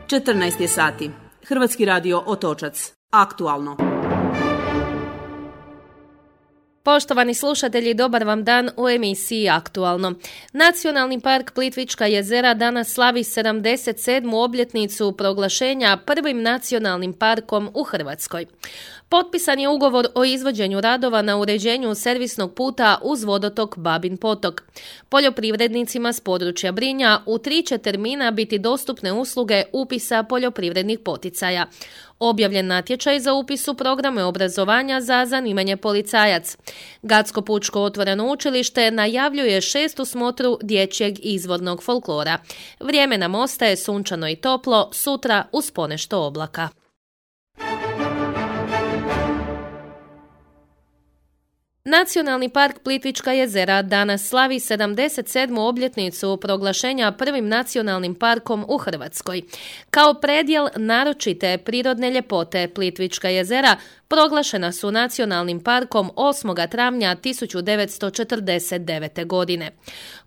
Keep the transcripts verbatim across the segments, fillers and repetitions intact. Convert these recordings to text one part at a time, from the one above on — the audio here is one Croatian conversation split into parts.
četrnaest je sati. Hrvatski radio Otočac. Aktualno. Poštovani slušatelji, dobar vam dan u emisiji Aktualno. Nacionalni park Plitvička jezera danas slavi sedamdeset sedmu obljetnicu proglašenja prvim nacionalnim parkom u Hrvatskoj. Potpisan je ugovor o izvođenju radova na uređenju servisnog puta uz vodotok Babin potok. Poljoprivrednicima s područja Brinja u tri će termina biti dostupne usluge upisa poljoprivrednih poticaja. Objavljen natječaj za upis u programe obrazovanja za zanimanje policajac. Gatsko pučko otvoreno učilište najavljuje šestu smotru dječjeg izvornog folklora. Vrijeme nam ostaje sunčano i toplo, sutra uz ponešto oblaka. Nacionalni park Plitvička jezera danas slavi sedamdeset sedmu obljetnicu proglašenja prvim nacionalnim parkom u Hrvatskoj. Kao predjel naročite prirodne ljepote Plitvička jezera proglašena su nacionalnim parkom osmog travnja tisuću devetsto četrdeset devete. godine.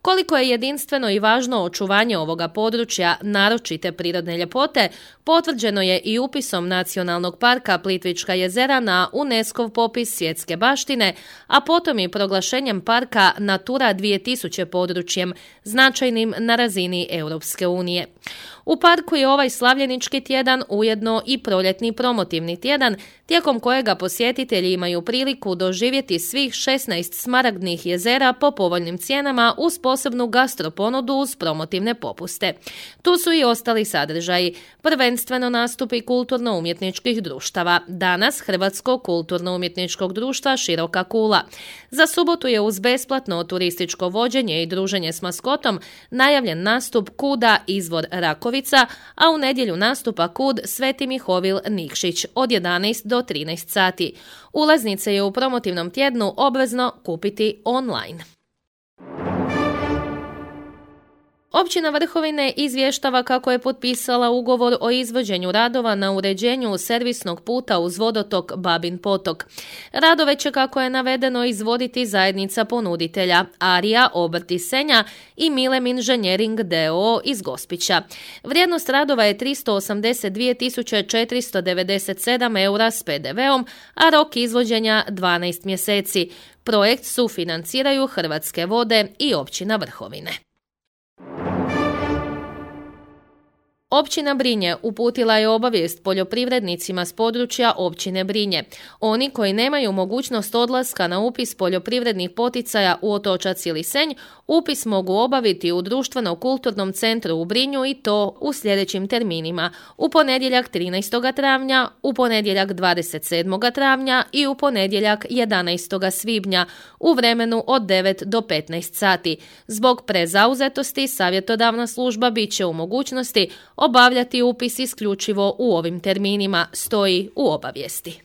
Koliko je jedinstveno i važno očuvanje ovoga područja naročite prirodne ljepote, potvrđeno je i upisom Nacionalnog parka Plitvička jezera na UNESCO-v popis svjetske baštine, a potom i proglašenjem parka Natura dvije tisuće područjem, značajnim na razini Europske unije. U parku je ovaj slavljenički tjedan ujedno i proljetni promotivni tjedan, tijekom kojega posjetitelji imaju priliku doživjeti svih šesnaest smaragdnih jezera po povoljnim cijenama uz posebnu gastroponudu uz promotivne popuste. Tu su i ostali sadržaji, prvenstveno nastupi kulturno-umjetničkih društava, danas Hrvatsko kulturno-umjetničkog društva Široka kula. Za subotu je uz besplatno turističko vođenje i druženje s maskotom najavljen nastup Kuda Izvor Rakovica, a u nedjelju nastupa Kud Sveti Mihovil Nikšić od jedanaest do trinaest sati. Ulaznice je u promotivnom tjednu obvezno kupiti online. Općina Vrhovine izvještava kako je potpisala ugovor o izvođenju radova na uređenju servisnog puta uz vodotok Babin potok. Radove će, kako je navedeno, izvoditi zajednica ponuditelja Arija Obrt iz Senja i Milem Inženjering d o o iz Gospića. Vrijednost radova je tristo osamdeset dvije tisuće četiristo devedeset sedam eura s pe de veom, a rok izvođenja dvanaest mjeseci. Projekt sufinanciraju Hrvatske vode i općina Vrhovine. Općina Brinje uputila je obavijest poljoprivrednicima s područja općine Brinje. Oni koji nemaju mogućnost odlaska na upis poljoprivrednih poticaja u Otočac ili Senj, upis mogu obaviti u društveno-kulturnom centru u Brinju i to u sljedećim terminima: u ponedjeljak trinaestog travnja, u ponedjeljak dvadeset sedmog travnja i u ponedjeljak jedanaestog svibnja u vremenu od devet do petnaest sati. Zbog prezauzetosti savjetodavna služba bit će u mogućnosti obavljati upis isključivo u ovim terminima, stoji u obavijesti.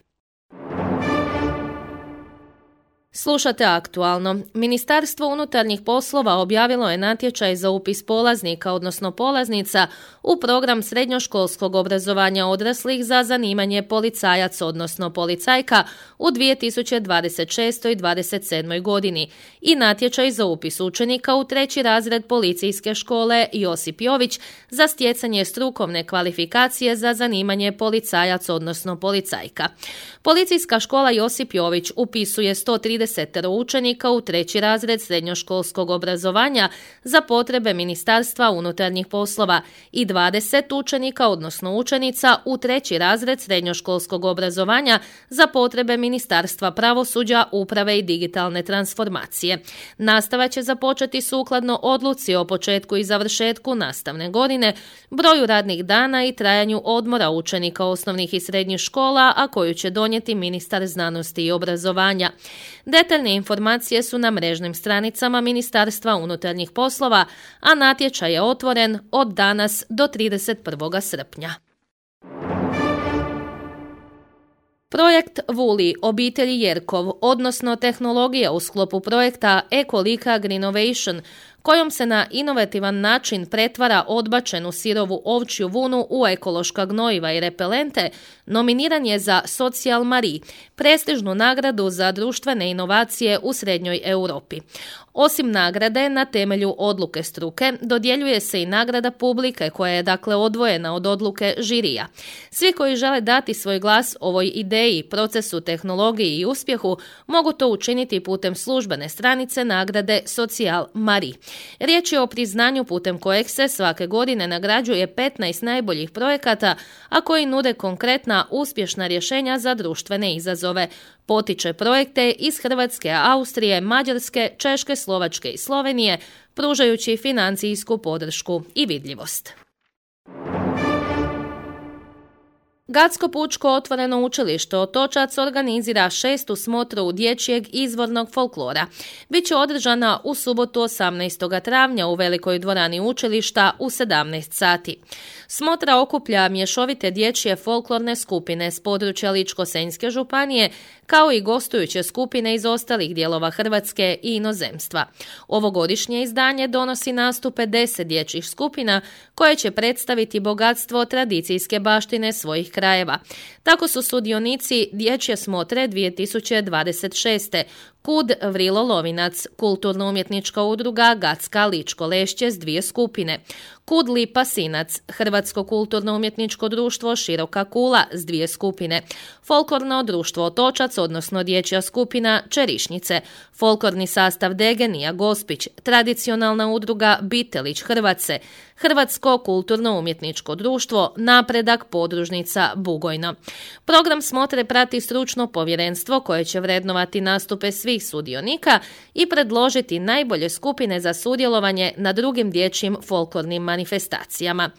Slušate Aktualno. Ministarstvo unutarnjih poslova objavilo je natječaj za upis polaznika, odnosno polaznica, u program srednjoškolskog obrazovanja odraslih za zanimanje policajac, odnosno policajka u dvije tisuće dvadeset šestoj i dvadeset sedmoj. godini i natječaj za upis učenika u treći razred policijske škole Josip Jović za stjecanje strukovne kvalifikacije za zanimanje policajac, odnosno policajka. Policijska škola Josip Jović upisuje sto trideset učenika u treći razred srednjoškolskog obrazovanja za potrebe Ministarstva unutarnjih poslova i dvadeset učenika, odnosno učenica, u treći razred srednjoškolskog obrazovanja za potrebe Ministarstva pravosuđa, uprave i digitalne transformacije. Nastava će započeti sukladno odluci o početku i završetku nastavne godine, broju radnih dana i trajanju odmora učenika osnovnih i srednjih škola, a koju će donijeti ministar znanosti i obrazovanja. Detaljne informacije su na mrežnim stranicama Ministarstva unutarnjih poslova, a natječaj je otvoren od danas do trideset prvog srpnja. Projekt Vuli, obitelji Jerkov, odnosno tehnologija u sklopu projekta Ecolika Greenovation, kojom se na inovativan način pretvara odbačenu sirovu ovčju vunu u ekološka gnojiva i repelente, nominiran je za Social Marie, prestižnu nagradu za društvene inovacije u Srednjoj Europi. Osim nagrade na temelju odluke struke, dodjeljuje se i nagrada publike koja je dakle odvojena od odluke žirija. Svi koji žele dati svoj glas ovoj ideji, procesu, tehnologiji i uspjehu mogu to učiniti putem službene stranice nagrade Social Marie. Riječ je o priznanju putem kojeg se svake godine nagrađuje petnaest najboljih projekata, a koji nude konkretna uspješna rješenja za društvene izazove. Potiče projekte iz Hrvatske, Austrije, Mađarske, Češke, Slovačke i Slovenije, pružajući financijsku podršku i vidljivost. Gatsko pučko otvoreno učilište Otočac organizira šestu smotru dječjeg izvornog folklora. Biće održana u subotu osamnaestog travnja u velikoj dvorani učilišta u sedamnaest sati. Smotra okuplja mješovite dječje folklorne skupine s područja Ličko-senjske županije, kao i gostujuće skupine iz ostalih dijelova Hrvatske i inozemstva. Ovogodišnje izdanje donosi nastupe deset dječjih skupina koje će predstaviti bogatstvo tradicijske baštine svojih krajeva. Tako su sudionici dječje smotre dvije tisuće dvadeset šeste. Kud Vrilo Lovinac, kulturno-umjetnička udruga Gatska Ličko Lešće s dvije skupine. Kud Lipa Sinac, Hrvatsko kulturno-umjetničko društvo Široka Kula s dvije skupine. Folklorno društvo Otočac, odnosno dječja skupina Čerišnice. Folklorni sastav Degenija Gospić, tradicionalna udruga Bitelić Hrvatce. Hrvatsko kulturno-umjetničko društvo Napredak podružnica Bugojno. Program smotre prati stručno povjerenstvo koje će vrednovati nastupe svih sudionika i predložiti najbolje skupine za sudjelovanje na drugim dječjim folklornim manifestacijama.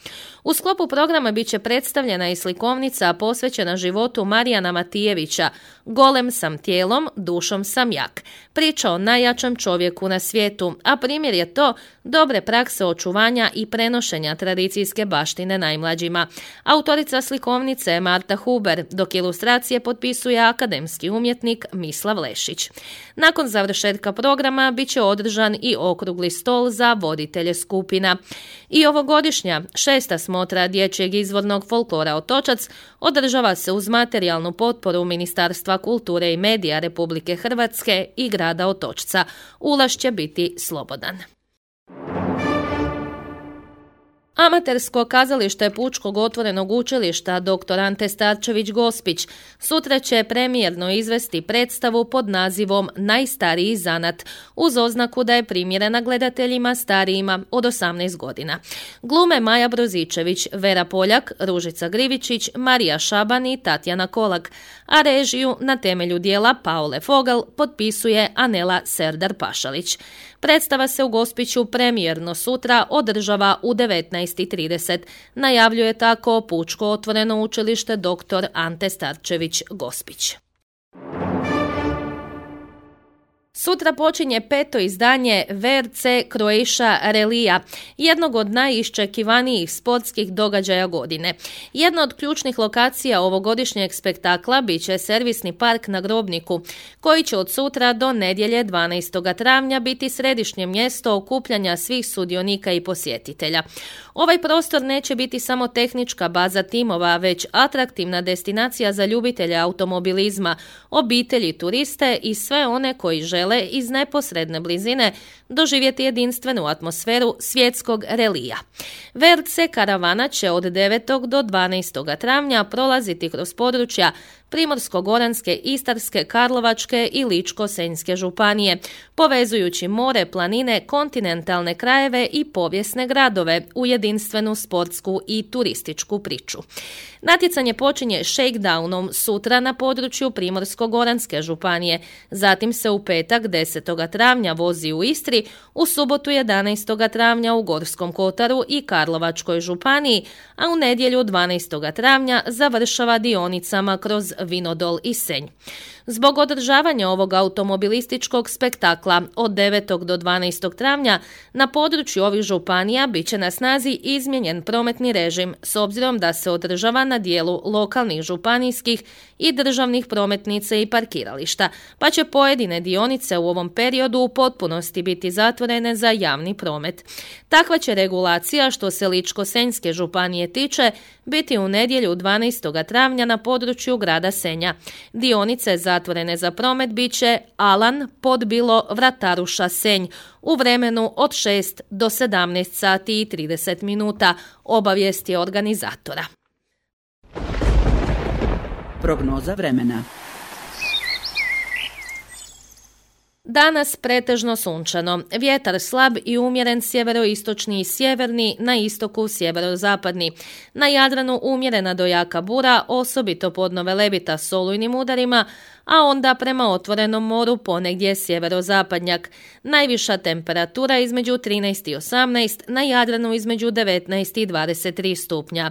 U sklopu programa bit će predstavljena i slikovnica posvećena životu Marijana Matijevića Golem sam tijelom, dušom sam jak. Priča o najjačem čovjeku na svijetu, a primjer je to dobre prakse očuvanja i prenošenja tradicijske baštine najmlađima. Autorica slikovnice je Marta Huber, dok ilustracije potpisuje akademski umjetnik Mislav Lešić. Nakon završetka programa bit će održan i okrugli stol za voditelje skupina. I ovogodišnja šesta smotra dječjeg izvornog folklora Otočac održava se uz materijalnu potporu Ministarstva kulture i medija Republike Hrvatske i grada Otočca. Ulaz će biti slobodan. Amatersko kazalište Pučkog otvorenog učilišta dr. Ante Starčević Gospić sutra će premijerno izvesti predstavu pod nazivom Najstariji zanat, uz oznaku da je primjerena gledateljima starijima od osamnaest godina. Glume Maja Brozičević, Vera Poljak, Ružica Grivičić, Marija Šaban i Tatjana Kolak, a režiju na temelju dijela Paole Fogel potpisuje Anela Serdar Pašalić. Predstava se u Gospiću premijerno sutra održava u devetnaest i trideset. Najavljuje tako Pučko otvoreno učilište dr. Ante Starčević Gospić. Sutra počinje peto izdanje V R C Croatia Relija, jednog od najiščekivanijih sportskih događaja godine. Jedna od ključnih lokacija ovogodišnjeg spektakla bit će servisni park na Grobniku, koji će od sutra do nedjelje dvanaestog travnja biti središnje mjesto okupljanja svih sudionika i posjetitelja. Ovaj prostor neće biti samo tehnička baza timova, već atraktivna destinacija za ljubitelje automobilizma, obitelji, turiste i sve one koji žele iz neposredne blizine doživjeti jedinstvenu atmosferu svjetskog relija. V R C karavana će od devetog do dvanaestog travnja prolaziti kroz područja Primorsko-goranske, Istarske, Karlovačke i Ličko-senjske županije, povezujući more, planine, kontinentalne krajeve i povijesne gradove u jedinstvenu sportsku i turističku priču. Natjecanje počinje shakedownom sutra na području Primorsko-goranske županije, zatim se u petak desetog travnja vozi u Istri, u subotu jedanaestog travnja u Gorskom kotaru i Karlovačkoj županiji, a u nedjelju dvanaestog travnja završava dionicama kroz Vinodol i Senj. Zbog održavanja ovog automobilističkog spektakla od devetog do dvanaestog travnja na području ovih županija bit će na snazi izmijenjen prometni režim s obzirom da se održava na dijelu lokalnih, županijskih i državnih prometnica i parkirališta, pa će pojedine dionice u ovom periodu u potpunosti biti zatvorene za javni promet. Takva će regulacija, što se Ličko-senjske županije tiče, biti u nedjelju dvanaestog travnja na području grada Senja. Dionice zatvorene za promet bit će Alan, Podbilo, Vrataruša, Senj u vremenu od šest do sedamnaest sati i trideset minuta, obavijesti organizatora. Prognoza vremena. Danas pretežno sunčano, vjetar slab i umjeren sjeveroistočni i sjeverni, na istoku sjeverozapadni. Na Jadranu umjerena do jaka bura, osobito podno Velebita s olujnim udarima, a onda prema otvorenom moru ponegdje sjeverozapadnjak. Najviša temperatura između trinaest i osamnaest, na Jadranu između devetnaest i dvadeset tri stupnja.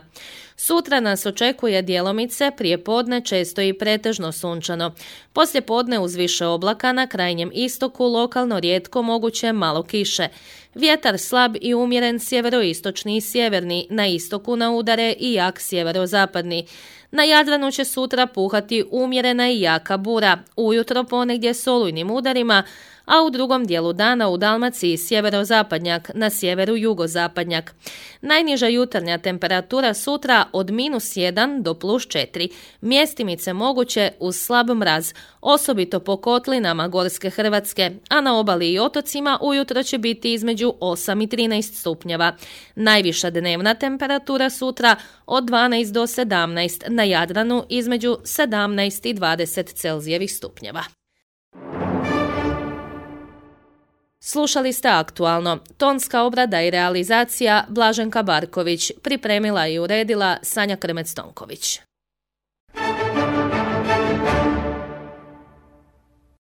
Sutra nas očekuje djelomice, prije podne često i pretežno sunčano. Poslije podne uz više oblaka na krajnjem istoku lokalno rijetko moguće malo kiše. Vjetar slab i umjeren sjeveroistočni i sjeverni, na istoku na udare i jak sjeverozapadni. Na Jadranu će sutra puhati umjerena i jaka bura, ujutro ponegdje s olujnim udarima, a u drugom dijelu dana u Dalmaciji sjeverozapadnjak, na sjeveru jugozapadnjak. Najniža jutarnja temperatura sutra od minus jedan do plus četiri, mjestimice moguće uz slab mraz, osobito po kotlinama Gorske Hrvatske, a na obali i otocima ujutro će biti između osam i trinaest stupnjeva. Najviša dnevna temperatura sutra od dvanaest do sedamnaest, na Jadranu između sedamnaest i dvadeset Celzijevih stupnjeva. Slušali ste Aktualno. Tonska obrada i realizacija Blaženka Barković, pripremila i uredila Sanja Krmec-Tonković.